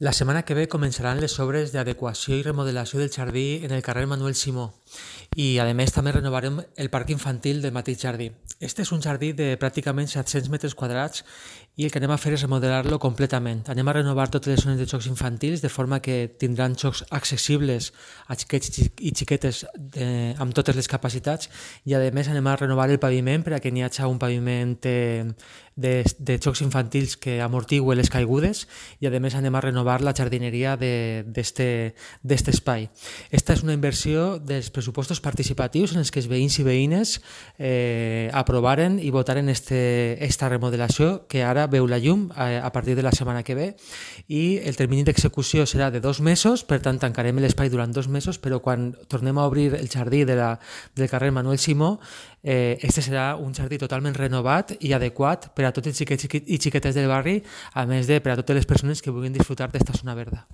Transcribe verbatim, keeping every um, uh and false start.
La setmana que ve començaran les obres d'adequació i remodelació del jardí en el carrer Manuel Simó i, a més, també renovarem el parc infantil del mateix jardí. Este és un jardí de pràcticament set-cents metres quadrats i el que anem a fer és remodelar-lo completament. Anem a renovar totes les zones de jocs infantils de forma que tindran jocs accessibles a xiquets i xiquetes de, amb totes les capacitats i, a més, anem a renovar el paviment per a que n'hi hagi un paviment eh, de, de jocs infantils que amortigui les caigudes i, a més, anem a renovar la jardineria d'aquest espai. Esta és una inversió dels pressupostos participatius en els que els veïns i veïnes eh, aprovaren i votaren este, esta remodelació que ara veu la llum a, a partir de la setmana que ve i el termini d'execució serà de dos mesos, per tant tancarem l'espai durant dos mesos, però quan tornem a obrir el jardí de la, del carrer Manuel Simó, eh, este serà un jardí totalment renovat i adequat per a tots els xiquets i xiquetes del barri, a més de per a totes les persones que vulguin disfrutar d'esta zona verda.